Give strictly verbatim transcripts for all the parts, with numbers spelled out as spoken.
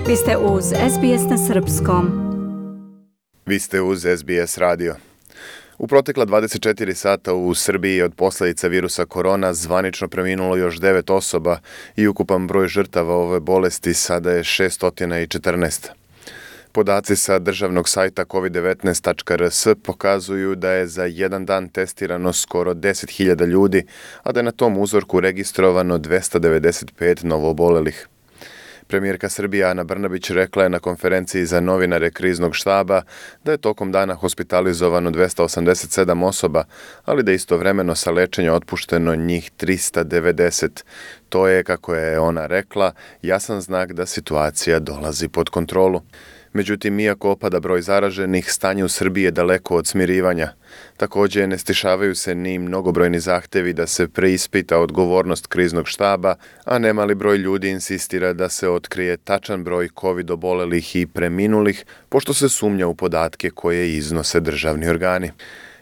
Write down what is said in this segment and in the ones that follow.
Vi ste uz S B S na srpskom. Vi ste uz S B S radio. U protekla dvadeset četiri sata u Srbiji od posljedica virusa korona zvanično preminulo još devet osoba i ukupan broj žrtava ove bolesti sada je šesto četrnaest. Podaci sa državnog sajta covid devetnaest tačka r s pokazuju da je za jedan dan testirano skoro deset hiljada ljudi, a da je na tom uzorku registrovano dvesta devedeset pet novoobolelih. Premijerka Srbije Ana Brnabić rekla je na konferenciji za novinare kriznog štaba da je tokom dana hospitalizovano dvesta osamdeset sedam osoba, ali da je istovremeno sa lečenja otpušteno njih trista devedeset. To je, kako je ona rekla, jasan znak da situacija dolazi pod kontrolu. Međutim, iako opada broj zaraženih, stanje u Srbiji je daleko od smirivanja. Također, ne stišavaju se ni mnogobrojni zahtevi da se preispita odgovornost kriznog štaba, a nemali broj ljudi insistira da se otkrije tačan broj covid obolelih i preminulih, pošto se sumnja u podatke koje iznose državni organi.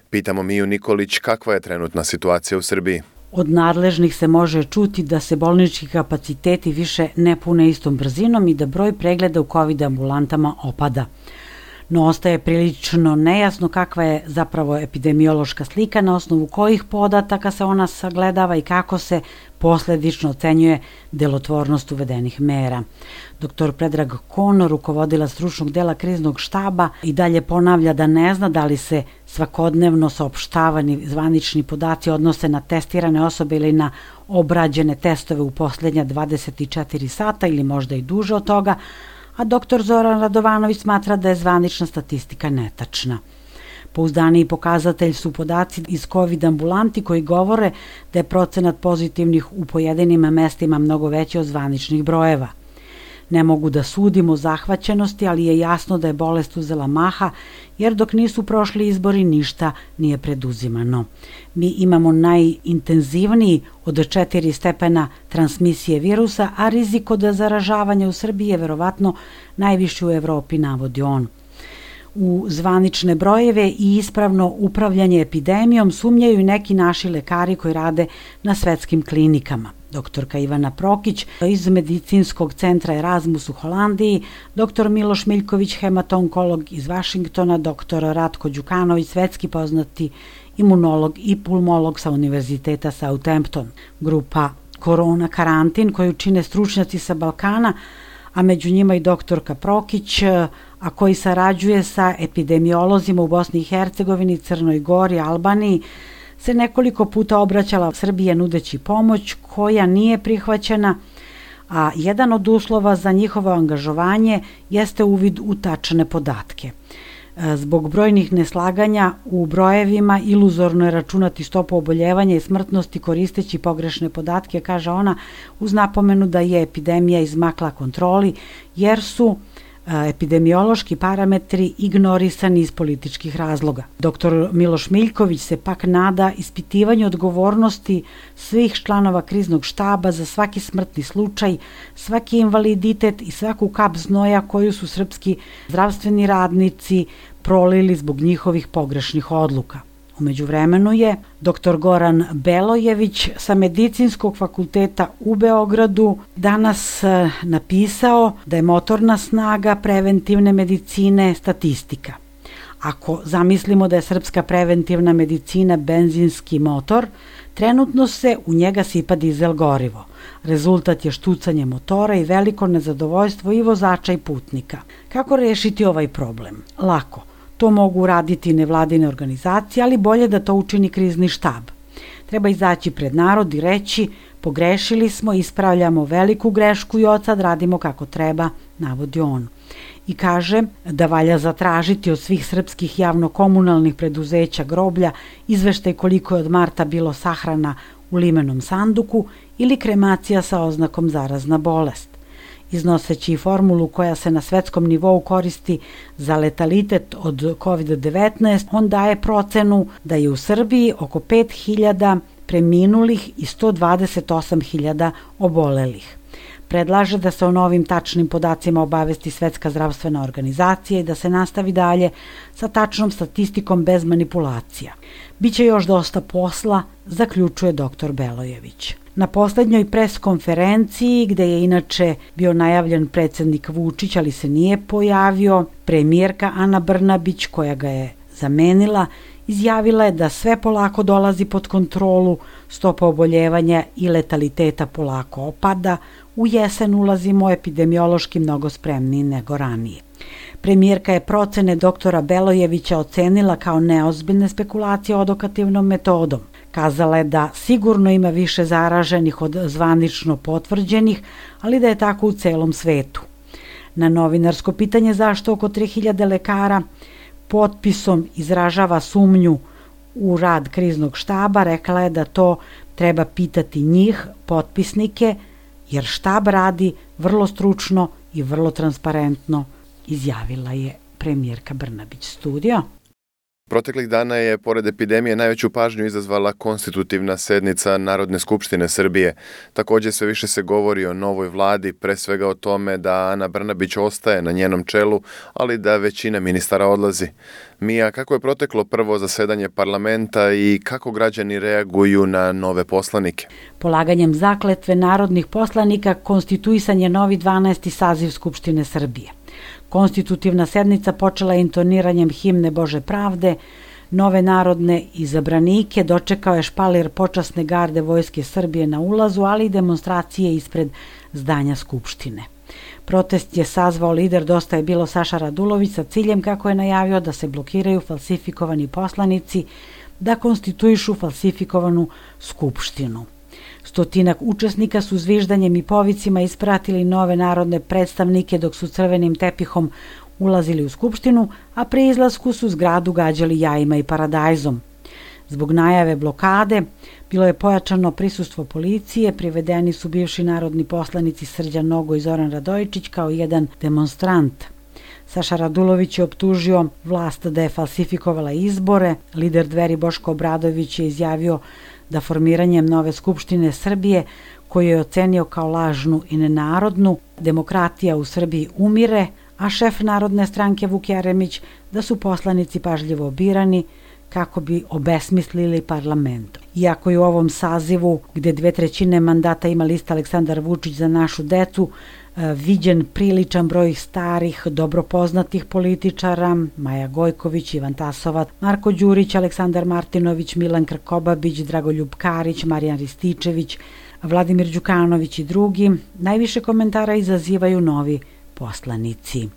Pitamo Miju Nikolić kakva je trenutna situacija u Srbiji. Od nadležnih se može čuti da se bolnički kapaciteti više ne pune istom brzinom i da broj pregleda u COVID ambulantama opada. No ostaje prilično nejasno kakva je zapravo epidemiološka slika, na osnovu kojih podataka se ona sagledava i kako se posljedično ocenjuje delotvornost uvedenih mera. Doktor Predrag Kon, rukovodila stručnog dela kriznog štaba, i dalje ponavlja da ne zna da li se svakodnevno saopštavani zvanični podaci odnose na testirane osobe ili na obrađene testove u posljednja dvadeset četiri sata ili možda i duže od toga, a doktor Zoran Radovanović smatra da je zvanična statistika netačna. Pouzdaniji pokazatelj su podaci iz COVID ambulanti koji govore da je procenat pozitivnih u pojedinim mestima mnogo veći od zvaničnih brojeva. Ne mogu da sudimo o zahvaćenosti, ali je jasno da je bolest uzela maha, jer dok nisu prošli izbori ništa nije preduzimano. Mi imamo najintenzivniji od četiri stepena transmisije virusa, a rizik od zaražavanja u Srbiji je verovatno najviši u Evropi, navodi on. U zvanične brojeve i ispravno upravljanje epidemijom sumnjaju i neki naši lekari koji rade na svetskim klinikama. Doktorka Ivana Prokić iz Medicinskog centra Erasmus u Holandiji, doktor Miloš Miljković, hematonkolog iz Vašingtona, doktor Ratko Đukanović, svetski poznati imunolog i pulmolog sa Univerziteta Southampton. Grupa Korona karantin koju čine stručnjaci sa Balkana, a među njima i doktorka Prokić, a koji sarađuje sa epidemiolozima u Bosni i Hercegovini, Crnoj Gori, Albaniji, se nekoliko puta obraćala Srbije nudeći pomoć koja nije prihvaćena, a jedan od uslova za njihovo angažovanje jeste uvid u tačne podatke. Zbog brojnih neslaganja u brojevima iluzorno je računati stopu oboljevanja i smrtnosti koristeći pogrešne podatke, kaže ona, uz napomenu da je epidemija izmakla kontroli jer su epidemiološki parametri ignorisani iz političkih razloga. Doktor Miloš Miljković se pak nada ispitivanju odgovornosti svih članova kriznog štaba za svaki smrtni slučaj, svaki invaliditet i svaku kap znoja koju su srpski zdravstveni radnici prolili zbog njihovih pogrešnih odluka. U međuvremenu je doktor Goran Belojević sa Medicinskog fakulteta u Beogradu danas napisao da je motorna snaga preventivne medicine statistika. Ako zamislimo da je srpska preventivna medicina benzinski motor, trenutno se u njega sipa dizel gorivo. Rezultat je štucanje motora i veliko nezadovoljstvo i vozača i putnika. Kako rešiti ovaj problem? Lako. To mogu raditi nevladine organizacije, ali bolje da to učini krizni štab. Treba izaći pred narod i reći pogrešili smo, ispravljamo veliku grešku i od sad radimo kako treba, navodi on. I kaže da valja zatražiti od svih srpskih javno-komunalnih preduzeća groblja izveštaj koliko je od marta bilo sahrana u limenom sanduku ili kremacija sa oznakom zarazna bolest. Iznoseći formulu koja se na svetskom nivou koristi za letalitet od covid devetnaest, on daje procenu da je u Srbiji oko pet hiljada preminulih i sto dvadeset osam hiljada obolelih. Predlaže da se o novim tačnim podacima obavesti Svetska zdravstvena organizacija i da se nastavi dalje sa tačnom statistikom bez manipulacija. Biće još dosta posla, zaključuje doktor Belojević. Na poslednjoj pres konferenciji, gde je inače bio najavljen predsednik Vučić, ali se nije pojavio, premijerka Ana Brnabić, koja ga je zamenila, izjavila je da sve polako dolazi pod kontrolu, stopa oboljevanja i letaliteta polako opada, u jesen ulazimo epidemiološki mnogo spremniji nego ranije. Premijerka je procene doktora Belojevića ocenila kao neozbiljne spekulacije odokativnom metodom. Kazala je da sigurno ima više zaraženih od zvanično potvrđenih, ali da je tako u celom svetu. Na novinarsko pitanje zašto oko tri hiljade lekara potpisom izražava sumnju u rad kriznog štaba, rekla je da to treba pitati njih, potpisnike, jer štab radi vrlo stručno i vrlo transparentno, izjavila je premijerka Brnabić. Studio. Proteklih dana je, pored epidemije, najveću pažnju izazvala konstitutivna sednica Narodne skupštine Srbije. Također sve više se govori o novoj vladi, pre svega o tome da Ana Brnabić ostaje na njenom čelu, ali da većina ministara odlazi. Mija, kako je proteklo prvo zasedanje parlamenta i kako građani reaguju na nove poslanike? Polaganjem zakletve narodnih poslanika konstituisan je novi dvanaesti saziv Skupštine Srbije. Konstitutivna sednica počela je intoniranjem himne Bože pravde, nove narodne izabranike dočekao je špalir počasne garde Vojske Srbije na ulazu, ali i demonstracije ispred zdanja Skupštine. Protest je sazvao lider Dosta je bilo Saša Radulović sa ciljem, kako je najavio, da se blokiraju falsifikovani poslanici, da konstituišu falsifikovanu Skupštinu. Stotinak učesnika su zviždanjem i povicima ispratili nove narodne predstavnike dok su crvenim tepihom ulazili u Skupštinu, a pri izlasku su zgradu gađali jajima i paradajzom. Zbog najave blokade bilo je pojačano prisustvo policije, privedeni su bivši narodni poslanici Srđan Nogo i Zoran Radojičić kao jedan demonstrant. Saša Radulović je optužio vlast da je falsifikovala izbore, lider Dveri Boško Obradović je izjavio da formiranjem nove Skupštine Srbije, koju je ocenio kao lažnu i nenarodnu, demokratija u Srbiji umire, a šef Narodne stranke Vuk Jeremić da su poslanici pažljivo birani kako bi obesmislili parlament. Iako je u ovom sazivu, gde dve trećine mandata ima lista Aleksandar Vučić za našu decu, viđen priličan broj starih, dobro poznatih političara, Maja Gojković, Ivan Tasovac, Marko Đurić, Aleksandar Martinović, Milan Krkobabić, Dragoljub Karić, Marijan Rističević, Vladimir Đukanović i drugi, najviše komentara izazivaju novi poslanici.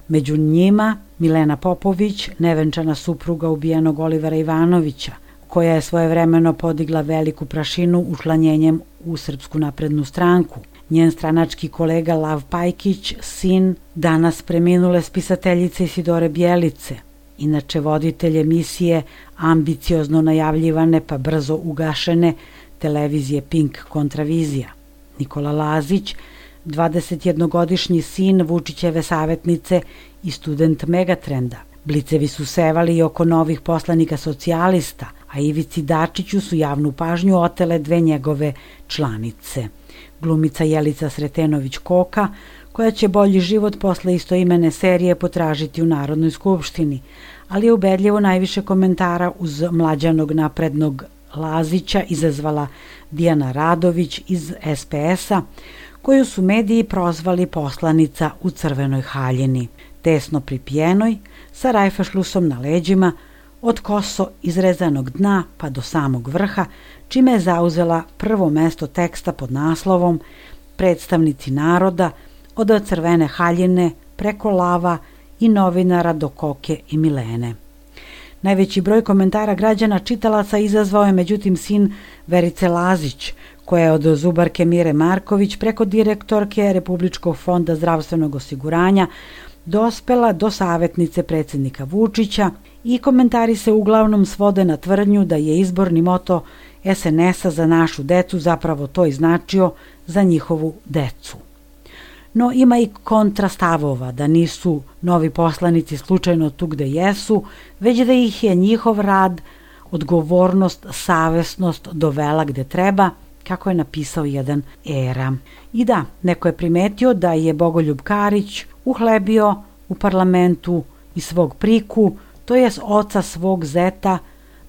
Među njima Milena Popović, nevenčana supruga ubijenog Olivera Ivanovića, koja je svojevremeno podigla veliku prašinu učlanjenjem u Srpsku naprednu stranku. Njen stranački kolega Lav Pajkić, sin danas preminule spisateljice Isidore Bjelice, inače voditelj emisije ambiciozno najavljivane pa brzo ugašene televizije Pink Kontravizija. Nikola Lazić, dvadesetjednogodišnji sin Vučićeve savjetnice i student Megatrenda. Blicevi su sevali i oko novih poslanika socijalista, a Ivici Dačiću su javnu pažnju otele dve njegove članice. Glumica Jelica Sretenović-Koka, koja će bolji život posle istoimene serije potražiti u Narodnoj skupštini, ali je ubedljivo najviše komentara uz mlađanog naprednog Lazića izazvala Dijana Radović iz es pe es-a, koju su mediji prozvali poslanica u crvenoj haljini, tesno pripijenoj, sa rajfašlusom na leđima, od koso izrezanog dna pa do samog vrha, čime je zauzela prvo mesto teksta pod naslovom Predstavnici naroda, od crvene haljine preko Lava i novinara do Koke i Milene. Najveći broj komentara građana čitalaca izazvao je međutim sin Verice Lazić, koja je od zubarke Mire Marković preko direktorke Republičkog fonda zdravstvenog osiguranja dospela do savjetnice predsjednika Vučića i komentari se uglavnom svode na tvrdnju da je izborni moto es en es-a za našu decu zapravo to i značio za njihovu decu. No ima i kontrastavova da nisu novi poslanici slučajno tu gde jesu, već da ih je njihov rad, odgovornost, savesnost dovela gde treba kako je napisao jedan Era. I da, neko je primetio da je Bogoljub Karić uhlebio u parlamentu i svog priku, to jest oca svog zeta,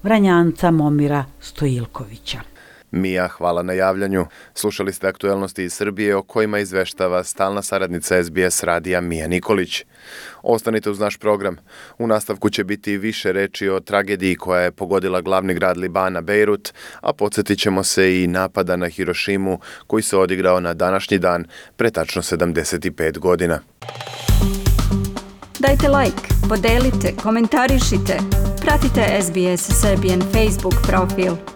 Vranjanca Momira Stojilkovića. Mija, hvala na javljanju. Slušali ste aktuelnosti iz Srbije o kojima izveštava stalna saradnica S B S radija Mija Nikolić. Ostanite uz naš program. U nastavku će biti više reči o tragediji koja je pogodila glavni grad Libana, Bejrut, a podsjetit ćemo se i napada na Hirošimu koji se odigrao na današnji dan pre tačno sedamdeset pet godina. Dajte like, podelite, komentarišite. Pratite S B S Serbian Facebook profil.